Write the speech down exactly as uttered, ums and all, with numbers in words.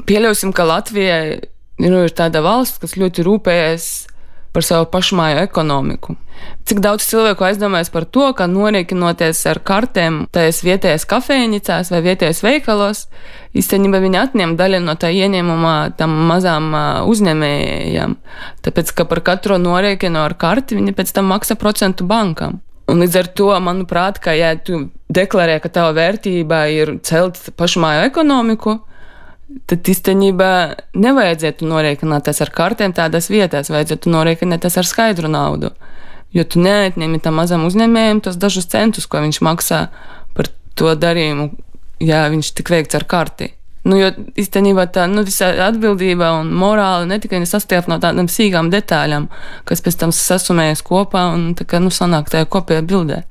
pieļausim, ka Latvijai nu, ir tāda valsts, kas ļoti rūpējas par savu pašmāju ekonomiku. Cik daudz cilvēku aizdomājas par to, ka norēķinoties ar kartēm tajās vietējās kafejnicās vai vietējās veikalos, īstenībā viņi atņem daļu no tā ieņēmumā tam mazām uzņēmējām. Tāpēc, ka par katru norēķinu ar karti viņi pēc tam maksā procentu bankam. Un līdz ar to, manuprāt, ka ja tu deklarē, ka tava vērtība ir celt pašmāju ekonomiku, tad īstenībā nevajadzētu norēķināties ar kartēm tādās vietās, vajadzētu norēķināties ar skaidru naudu. Jo tu neatņemi tam mazam uzņēmējiem tos dažus centus, ko viņš maksā par to darījumu, ja viņš tik veikts ar karti. Nu, jo īstenībā tā nu, visa atbildība un morāla ne tikai sastāv no tādām sīkām detaļām, kas pēc tam sasumējas kopā un tā kā nu, sanāk tajā kopējā bildē.